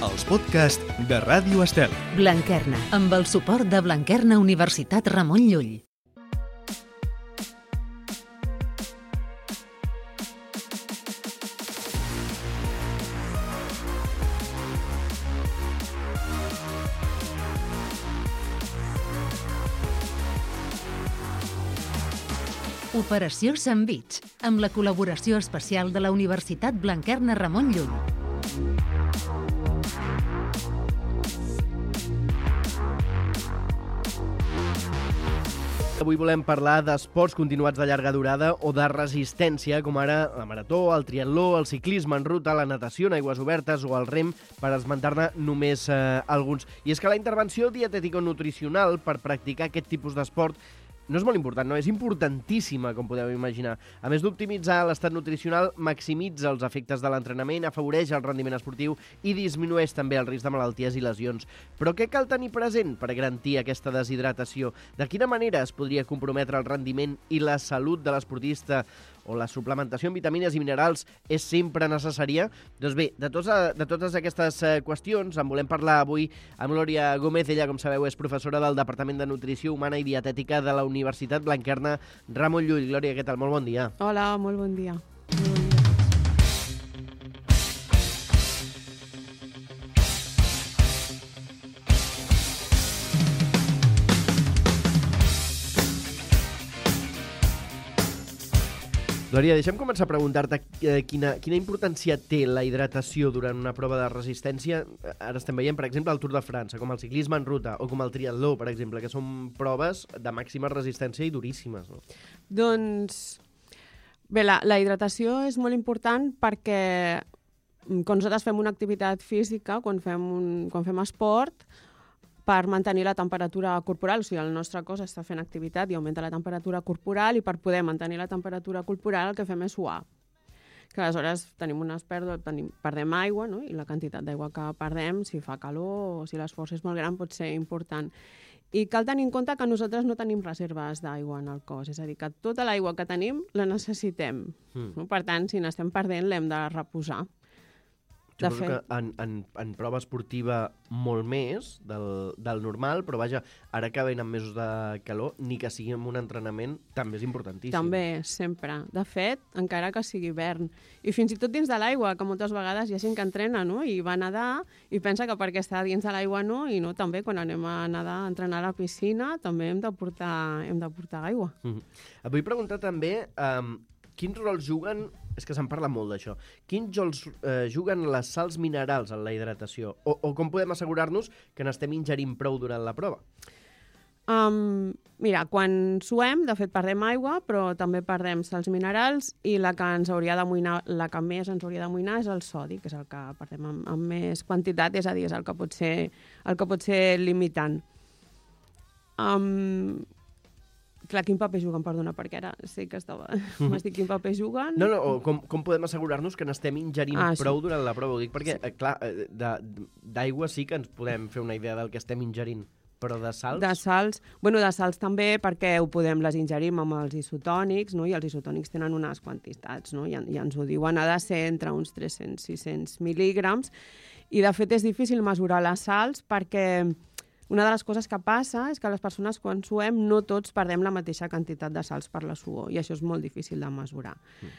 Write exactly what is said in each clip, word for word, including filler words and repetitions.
els podcasts de Ràdio Estel. Blanquerna, amb el suport de Blanquerna Universitat Ramon Llull. Operació Sandvich, amb la col·laboració especial de la Universitat Blanquerna Ramon Llull. Avui volem parlar d'esports continuats de llarga durada o de resistència, com ara la marató, el triatló, el ciclisme en ruta, la natació en aigües obertes o el rem, per esmentar-ne només eh, alguns. I és que la intervenció dietètico-nutricional per practicar aquest tipus d'esport no és molt important, no, és importantíssima, com podeu imaginar. A més d'optimitzar l'estat nutricional, maximitza els efectes de l'entrenament, afavoreix el rendiment esportiu i disminueix també el risc de malalties i lesions. Però què cal tenir present per garantir aquesta deshidratació? De quina manera es podria comprometre el rendiment i la salut de l'esportista? O la suplementació amb vitamines i minerals és sempre necessària? Doncs bé, de, tots, de totes aquestes qüestions en volem parlar avui amb Glòria Gómez. Ella, com sabeu, és professora del Departament de Nutrició Humana i Dietètica de la Universitat Blanquerna Ramon Llull. Glòria, què tal? Molt bon dia. Hola, molt bon dia. Molt bon dia. Glòria, deixa'm començar a preguntar-te eh, quina, quina importància té la hidratació durant una prova de resistència. Ara estem veient, per exemple, el Tour de França, com el ciclisme en ruta, o com el triatló, per exemple, que són proves de màxima resistència i duríssimes, no? Doncs, bé, la, la hidratació és molt important perquè quan nosaltres fem una activitat física, quan fem, un, quan fem esport, per mantenir la temperatura corporal, o sigui, el nostre cos està fent activitat i augmenta la temperatura corporal, i per poder mantenir la temperatura corporal el que fem és suar. Que aleshores tenim unes pèrdues, tenim, perdem aigua, no? I la quantitat d'aigua que perdem, si fa calor o si l'esforç és molt gran, pot ser important. I cal tenir en compte que nosaltres no tenim reserves d'aigua en el cos, és a dir, que tota l'aigua que tenim la necessitem. Mm. No? Per tant, si n'estem perdent, l'hem de reposar. Suposo que en, en, en prova esportiva molt més del, del normal, però vaja, ara que venen mesos de calor, ni que sigui en un entrenament, també és importantíssim. També, sempre. De fet, encara que sigui hivern. I fins i tot dins de l'aigua, que moltes vegades hi ha gent que entrena, no? I va nedar i pensa que perquè està dins de l'aigua no, i no, també quan anem a nedar, a entrenar a la piscina, també hem de portar, hem de portar aigua. Mm-hmm. Et vull preguntar també um, quins rols juguen, és que se'n parla molt d'això, quins rols eh, juguen les sals minerals en la hidratació? O, o com podem assegurar-nos que n'estem ingerint prou durant la prova? Um, mira, quan suem, de fet, perdem aigua, però també perdem sals minerals, i la que ens hauria d'amoïnar, la que més ens hauria d'amoïnar és el sodi, que és el que perdem amb, amb més quantitat, és a dir, és el que pot ser, el que pot ser limitant. Um, Clar, quin paper juguen? Perdona, perquè ara sé que estava... M'has dit quin paper juguen? No, no, com, com podem assegurar-nos que n'estem ingerint ah, prou sí. durant la prova? Ho dic perquè, sí. clar, d'aigua sí que ens podem fer una idea del que estem ingerint, però de sals? De sals, bueno, de sals també, perquè ho podem, les ingerim amb els isotònics, no? I els isotònics tenen unes quantitats, no? I, i ens ho diuen, ha de ser entre uns tres-cents a sis-cents mil·lígrams, i de fet és difícil mesurar les sals perquè una de les coses que passa és que les persones quan suem no tots perdem la mateixa quantitat de sals per la suor, i això és molt difícil de mesurar. Mm.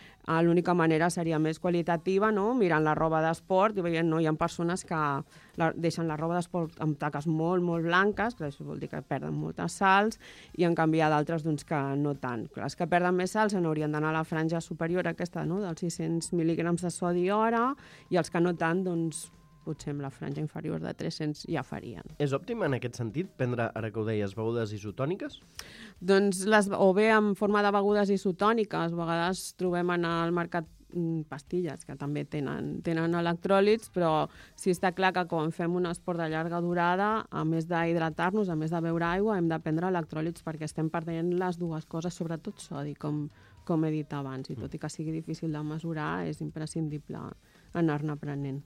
L'única manera seria més qualitativa, no? Mirant la roba d'esport i veient, no? Hi ha persones que la, deixen la roba d'esport amb taques molt, molt blanques, que això vol dir que perden moltes sals, i en canvi hi ha d'altres doncs, que no tant. Les que perden més sals en haurien d'anar a la franja superior aquesta, no? Dels sis-cents mil·lígrams de sodi hora, i els que no tant, doncs, potser amb la franja inferior de tres-cents ja farien. És òptim en aquest sentit prendre, ara que ho deies, begudes isotòniques? Doncs les, o bé en forma de begudes isotòniques, a vegades trobem en el mercat pastilles que també tenen, tenen electròlits, però sí està clar que quan fem un esport de llarga durada, a més d'hidratar-nos, a més de beure aigua, hem de prendre electròlits perquè estem perdent les dues coses, sobretot sodi, com, com he dit abans, i tot i que sigui difícil de mesurar, és imprescindible anar-ne prenent.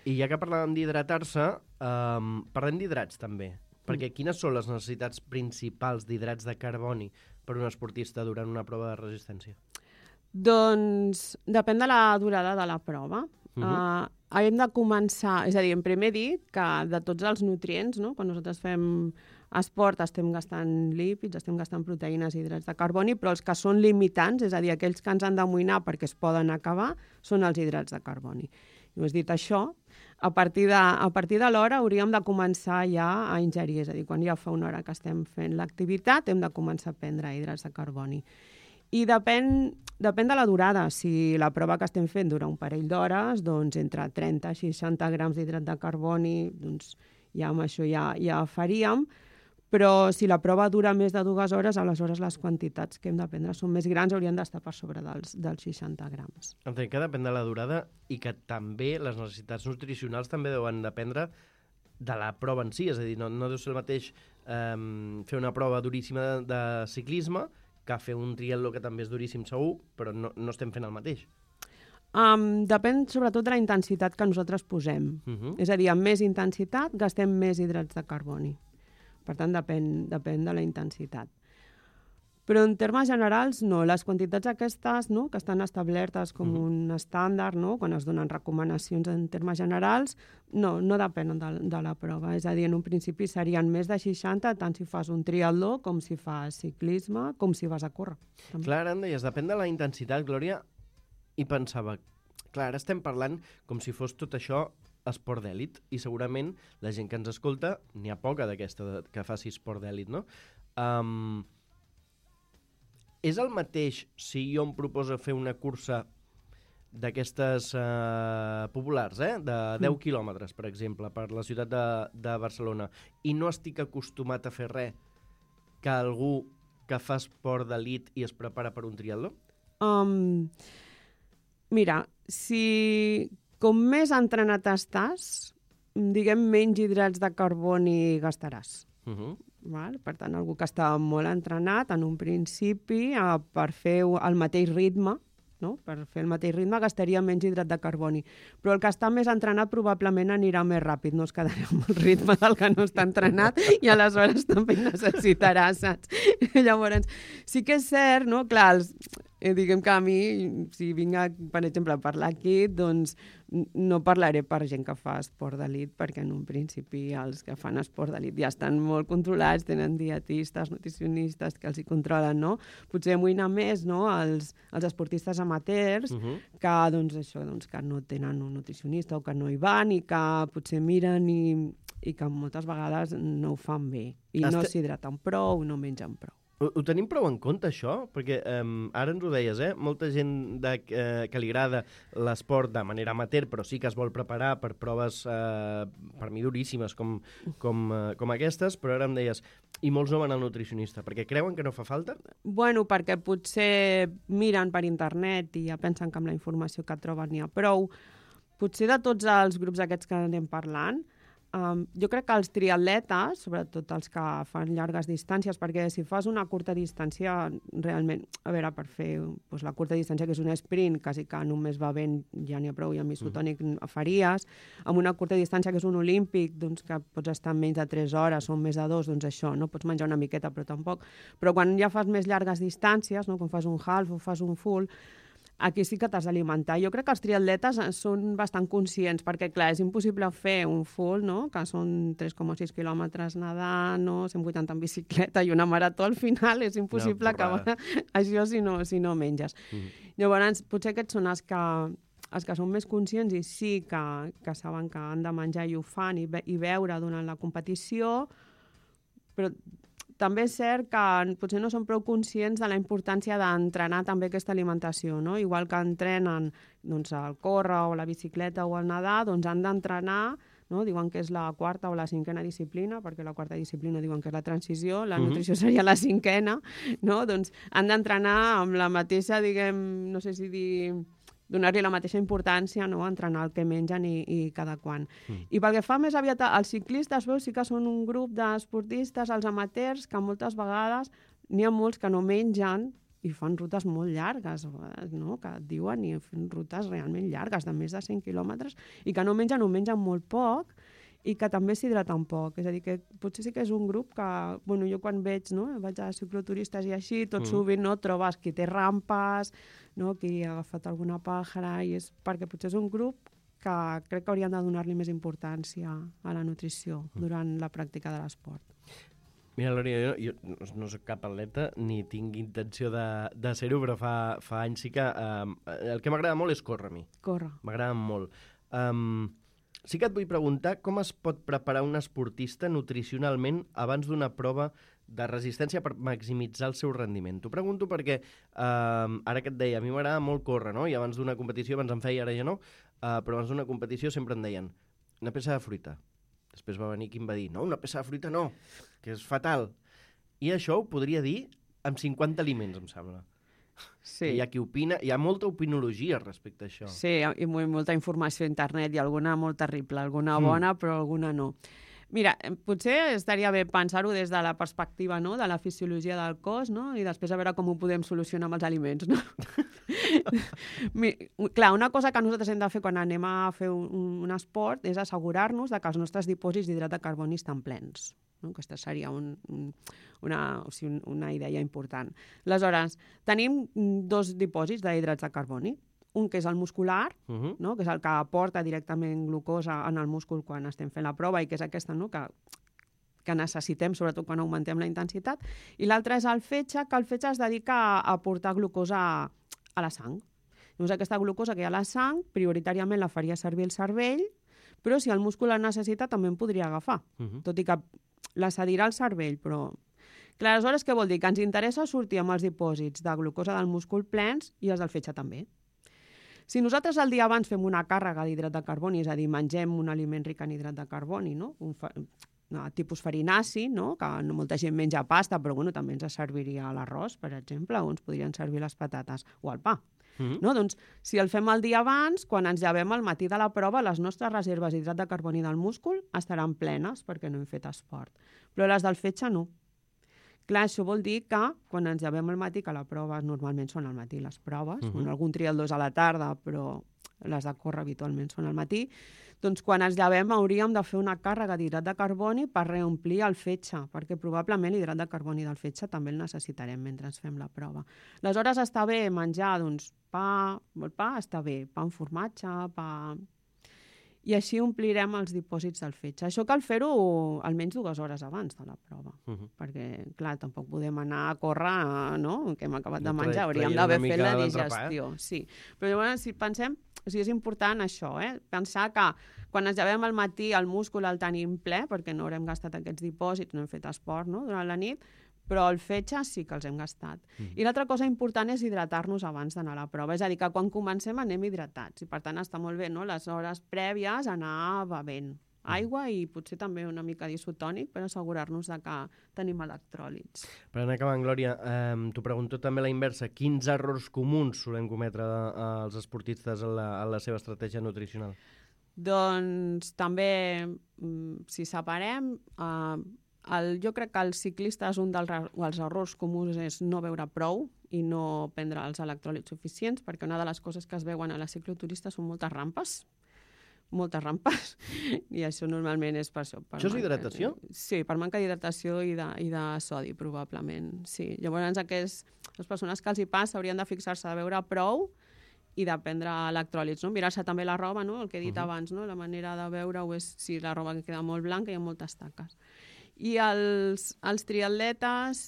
I ja que parlàvem d'hidratar-se, um, parlem d'hidrats també, perquè quines són les necessitats principals d'hidrats de carboni per un esportista durant una prova de resistència? Doncs depèn de la durada de la prova. Uh-huh. uh, hem de començar... És a dir, en primer dit que de tots els nutrients, no? Quan nosaltres fem esport estem gastant lípids, estem gastant proteïnes i hidrats de carboni, però els que són limitants, és a dir, aquells que ens han d'amoïnar perquè es poden acabar, són els hidrats de carboni. I has dit això, a partir de, a partir de l'hora hauríem de començar ja a ingerir, és a dir, quan ja fa una hora que estem fent l'activitat hem de començar a prendre hidrats de carboni. I depèn, depèn de la durada. Si la prova que estem fent dura un parell d'hores, doncs entre trenta i seixanta grams d'hidrat de carboni, doncs ja amb això ja, ja faríem. Però si la prova dura més de dues hores, aleshores les quantitats que hem de prendre són més grans, haurien d'estar per sobre dels, dels seixanta grams. Entenc que depèn de la durada i que també les necessitats nutricionals també deuen dependre de la prova en si. És a dir, no, no deu ser el mateix eh, fer una prova duríssima de, de ciclisme que fer un triatló que també és duríssim segur, però no, no estem fent el mateix. Um, depèn sobretot de la intensitat que nosaltres posem. Uh-huh. És a dir, amb més intensitat gastem més hidrats de carboni. Per tant, depèn, depèn de la intensitat. Però en termes generals, no. Les quantitats aquestes, no?, que estan establertes com uh-huh. un estàndard, no?, quan es donen recomanacions en termes generals, no, no depenen de, de la prova. És a dir, en un principi serien més de seixanta, tant si fas un triatló com si fas ciclisme, com si vas a córrer. També. Clar, ara em deies, depèn de la intensitat, Glòria, i pensava, clar, ara estem parlant com si fos tot això esport d'èlit, i segurament la gent que ens escolta, n'hi ha poca d'aquesta que faci esport d'èlit, no? Um, és el mateix si jo em proposo fer una cursa d'aquestes uh, populars, eh? de deu mm. quilòmetres, per exemple, per la ciutat de, de Barcelona, i no estic acostumat a fer res que algú que fa esport d'elit i es prepara per un triatló? Um, mira, si... Com més entrenat estàs, diguem, menys hidrats de carboni gastaràs. Uh-huh. Val? Per tant, algú que està molt entrenat, en un principi, eh, per fer el mateix ritme, no? Per fer el mateix ritme gastaria menys hidrat de carboni. Però el que està més entrenat probablement anirà més ràpid, no es quedarà amb el ritme del que no està entrenat i aleshores també necessitarà, saps? Llavors, sí que és cert, no? Clar, els... Eh, diguem que a mi, si vinc, a, per exemple, a parlar aquí, doncs no parlaré per gent que fa esport d'elit, perquè en un principi els que fan esport d'elit ja estan molt controlats, tenen dietistes, nutricionistes que els hi controlen, no? Potser amoïna més, no?, els, els esportistes amateurs, uh-huh. que, doncs, això, doncs, que no tenen un nutricionista o que no hi van i que potser miren i, i que moltes vegades no ho fan bé i Hasta... no s'hidraten prou, no mengen prou. Ho, ho tenim prou en compte, això? Perquè um, ara ens ho deies, eh? Molta gent de, eh, que li agrada l'esport de manera amateur, però sí que es vol preparar per proves, eh, per mi, duríssimes, com, com, eh, com aquestes, però ara em deies, i molts no van al nutricionista, perquè creuen que no fa falta? Bueno, perquè potser miren per internet i ja pensen que amb la informació que troben n'hi ha prou. Potser de tots els grups aquests que anem parlant, Um, jo crec que els triatletes, sobretot els que fan llargues distàncies, perquè si fas una curta distància, realment, a veure, per fer doncs, la curta distància, que és un sprint, quasi que només va ben, ja n'hi ha prou, i amb isotònic mm. faries, amb una curta distància, que és un olímpic, doncs, que pots estar en menys de tres hores o més de dos, doncs això, no? Pots menjar una miqueta, però tampoc. Però quan ja fas més llargues distàncies, no? Quan fas un half o fas un full, aquí sí que t'has d'alimentar. Jo crec que els triatletes són bastant conscients, perquè, clar, és impossible fer un full, no?, que són tres coma sis quilòmetres nedant, no?, cent vuitanta en bicicleta i una marató al final. És impossible no, acabar això si no, si no menges. Mm. Llavors, potser aquests són els que, els que són més conscients i sí que, que saben que han de menjar i ho fan i, be i beure durant la competició, però també és cert que potser no són prou conscients de la importància d'entrenar també aquesta alimentació, no? Igual que entrenen doncs, el córrer o la bicicleta o el nedar, doncs han d'entrenar, no? Diuen que és la quarta o la cinquena disciplina, perquè la quarta disciplina diuen que és la transició, la uh-huh. nutrició seria la cinquena, no? Doncs han d'entrenar amb la mateixa, diguem, no sé si dir... donar-li la mateixa importància, no?, a entrenar el que mengen i, i cada quan. Mm. I pel que fa més aviat als ciclistes, veus, sí que són un grup d'esportistes, els amateurs, que moltes vegades n'hi ha molts que no mengen i fan rutes molt llargues, no?, que et diuen, i fan rutes realment llargues, de més de cent quilòmetres, i que no mengen o mengen molt poc, i que també s'hidraten poc. És a dir, que potser sí que és un grup que, bueno, jo quan veig, no, vaig a cicloturistes i així, tot mm. sovint, no, trobes qui té rampes, no, qui ha agafat alguna pàjara, i és perquè potser és un grup que crec que haurien de donar-li més importància a la nutrició durant la pràctica de l'esport. Mira, Lòria, jo, jo no soc cap atleta ni tinc intenció de, de ser-ho, però fa, fa anys sí que... Eh, el que m'agrada molt és córrer a mi. Córrer. M'agrada molt. Um, sí que et vull preguntar com es pot preparar un esportista nutricionalment abans d'una prova de resistència per maximitzar el seu rendiment. T'ho pregunto perquè, um, ara que et deia, a mi m'agrada molt córrer, no? I abans d'una competició, abans em feia, ara ja no, uh, però abans d'una competició sempre em deien una peça de fruita. Després va venir qui em va dir, no, una peça de fruita no, que és fatal. I això ho podria dir amb cinquanta aliments, em sembla. Sí. Hi ha qui opina, hi ha molta opinologia respecte a això. Sí, i molta informació a internet, i alguna molt terrible, alguna bona, mm. però alguna no. Mira, potser estaria bé pensar-ho des de la perspectiva, no?, de la fisiologia del cos, no?, i després a veure com ho podem solucionar amb els aliments, no? Clar, una cosa que nosaltres hem de fer quan anem a fer un, un esport és assegurar-nos de que els nostres dipòsits d'hidrat de carboni estan plens. No? Aquesta seria un, un, una, o sigui, una idea important. Aleshores, tenim dos dipòsits d'hidrats de carboni. Un que és el muscular, uh-huh. no? Que és el que aporta directament glucosa en el múscul quan estem fent la prova i que és aquesta, no? que, que necessitem, sobretot quan augmentem la intensitat. I l'altre és el fetge, que el fetge es dedica a aportar glucosa a, a la sang. Llavors, aquesta glucosa que hi ha a la sang, prioritàriament la faria servir el cervell, però si el múscul la necessita també en podria agafar, uh-huh. tot i que la cedirà el cervell, però... Clar, aleshores, què vol dir? Que ens interessa sortir amb els dipòsits de glucosa del múscul plens i els del fetge també. Si nosaltres el dia abans fem una càrrega d'hidrat de carboni, és a dir, mengem un aliment ric en hidrat de carboni, no? Un fa... no, tipus farinaci, no? Que no molta gent menja pasta, però bueno, també ens serviria l'arròs, per exemple, o ens podrien servir les patates o el pa. Mm-hmm. No? Doncs, si el fem el dia abans, quan ens llevem al matí de la prova, les nostres reserves d'hidrat de carboni del múscul estaran plenes perquè no hem fet esport. Però les del fetge no. Clar, això vol dir que quan ens llevem al matí, que la prova normalment són al matí les proves, uh-huh. bueno, algun trial dos a la tarda, però les de córrer habitualment són al matí, doncs quan ens llevem hauríem de fer una càrrega d'hidrat de carboni per reomplir el fetge, perquè probablement l'hidrat de carboni del fetge també el necessitarem mentre ens fem la prova. Aleshores està bé menjar doncs, pa, el pa està bé, pa amb formatge, pa... I així omplirem els dipòsits del fetge. Això cal fer-ho almenys dues hores abans de la prova, uh-huh. perquè, clar, tampoc podem anar a córrer, no?, que hem acabat de menjar, hauríem d'haver fet la digestió. Sí. Però llavors, si pensem, o sigui, és important això, eh? Pensar que quan ens llevem al matí el múscul el tenim ple, perquè no haurem gastat aquests dipòsits, no hem fet esport, no?, durant la nit, però el fetge sí que els hem gastat. Mm. I l'altra cosa important és hidratar-nos abans d'anar a la prova. És a dir, que quan comencem anem hidratats. I per tant està molt bé, no?, les hores prèvies anar bevent aigua i potser també una mica d'isotònic per assegurar-nos de que tenim electròlits. Per anar acabant, Glòria, eh, t'ho pregunto també a la inversa. Quins errors comuns solen cometre eh, els esportistes en la, en la seva estratègia nutricional? Doncs també, si separem... Eh, El, jo crec que els ciclistes un dels, dels errors comuns és no beure prou i no prendre els electròlits suficients, perquè una de les coses que es veuen a la cicloturista són moltes rampes, moltes rampes, i això normalment és per això. Per això és manca, hidratació? Sí, per manca d'hidratació i, de, i de sodi, probablement. Sí. Llavors, aquests, les persones que els hi passa haurien de fixar-se de beure prou i de prendre electròlits, no? Mirar-se també la roba, no?, el que he dit uh-huh. abans, no?, la manera de veure-ho és si la roba que queda molt blanca i amb moltes taques. I els, els triatletes,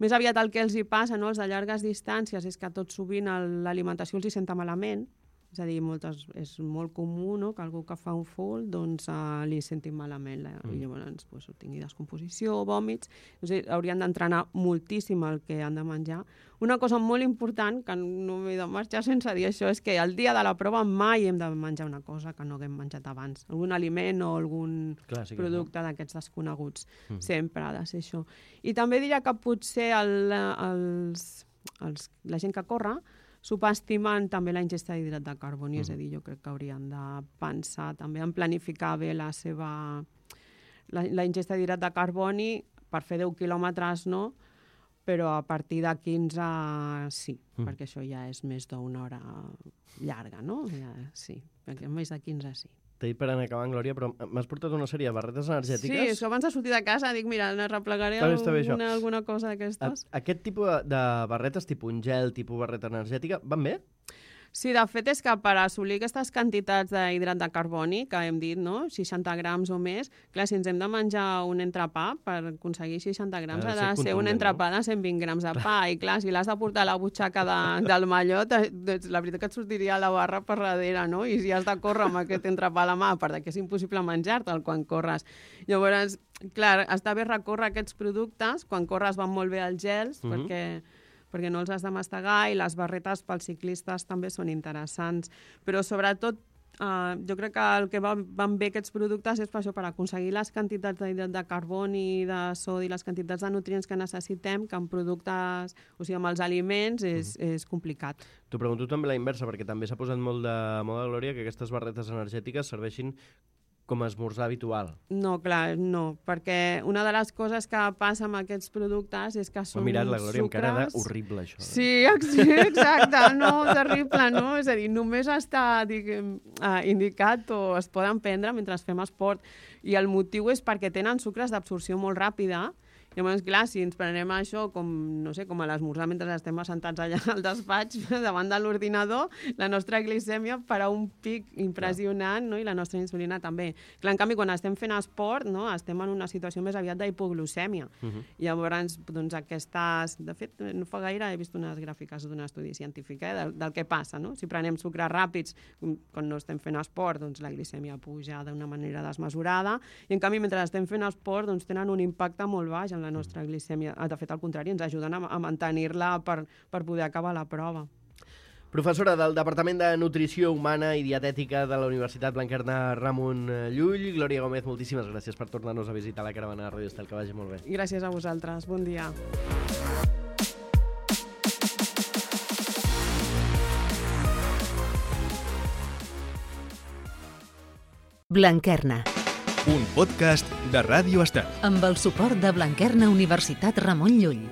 més aviat el que els hi passa, no?, els de llargues distàncies, és que tot sovint l'alimentació els hi senta malament, és a dir, moltes, és molt comú, no?, que algú que fa un full doncs, uh, li senti malament la, mm. i llavors pues, tingui descomposició, vòmits. O sigui, haurien d'entrenar moltíssim el que han de menjar. Una cosa molt important, que no m'he de marxar sense dir això, és que el dia de la prova mai hem de menjar una cosa que no haguem menjat abans. Algun aliment o algun Clar, sí producte no? d'aquests desconeguts. Mm. Sempre ha de ser això. I també diria que potser el, els, els, la gent que corre subestimen també la ingesta d'hidrat de carboni, mm. és a dir, jo crec que haurien de pensar també en planificar bé la seva la, la ingesta d'hidrat de carboni per fer deu quilòmetres, no? Però a partir de quinze sí, mm. perquè això ja és més d'una hora llarga, no? Ja, sí, perquè més de quinze sí. T'he dit per anar acabant, Glòria, però m'has portat una sèrie de barretes energètiques? Sí, això abans de sortir de casa dic, mira, replegaré bé, alguna, alguna cosa d'aquestes. Aquest tipus de barretes, tipus un gel, tipus barreta energètica, van bé? Sí, de fet és que per assolir aquestes quantitats d'hidrat de carboni que hem dit, no? seixanta grams o més, clar, si ens hem de menjar un entrepà, per aconseguir seixanta grams ha de ser, ser un entrepà no? de cent vint grams de pa, i clar, si l'has de portar a la butxaca de, del mallot, la veritat que et sortiria la barra per darrere, no? I si has de córrer amb aquest entrepà a la mà, perquè és impossible menjar-te'l quan corres. Llavors, clar, està bé recórrer aquests productes, quan corres van molt bé els gels, mm-hmm. perquè... perquè no els has de mastegar, i les barretes pels ciclistes també són interessants. Però sobretot, eh, jo crec que el que va, van bé aquests productes és per això, per aconseguir les quantitats d'hidrat de carboni, de sodi, les quantitats de nutrients que necessitem, que en productes, o sigui, amb els aliments, és, mm. és complicat. T'ho pregunto també la inversa, perquè també s'ha posat molt de moda, Glòria, que aquestes barretes energètiques serveixin com a esmorzar habitual. No, clar, no, perquè una de les coses que passa amb aquests productes és que són sucres... Mirat la Glòria amb cara de horrible, això. Eh? Sí, sí, exacte, no, terrible, no? És a dir, només està, diguem, indicat o es poden prendre mentre fem esport, i el motiu és perquè tenen sucres d'absorció molt ràpida. Llavors, clar, si ens prenem això com, no sé, com a l'esmorzar mentre estem assentats allà al despatx davant de l'ordinador, la nostra glicèmia farà un pic impressionant, no? I la nostra insulina també. Clar, en canvi, quan estem fent esport, no? Estem en una situació més aviat d'hipoglucèmia. Uh-huh. Llavors, doncs, aquestes... De fet, no fa gaire he vist unes gràfiques d'un estudi científic eh, del, del que passa, no? Si prenem sucres ràpids quan no estem fent esport, doncs la glicèmia puja d'una manera desmesurada, i en canvi, mentre estem fent esport, doncs tenen un impacte molt baix en la nostra glicèmia. De fet, al contrari, ens ajuden a, a mantenir-la per, per poder acabar la prova. Professora del Departament de Nutrició Humana i Dietètica de la Universitat Blanquerna Ramon Llull, Glòria Gómez, moltíssimes gràcies per tornar-nos a visitar la caravana de Ràdio Estel. Que vagi molt bé. Gràcies a vosaltres. Bon dia. Blanquerna. Un podcast de Ràdio Estel. Amb el suport de Blanquerna Universitat Ramon Llull.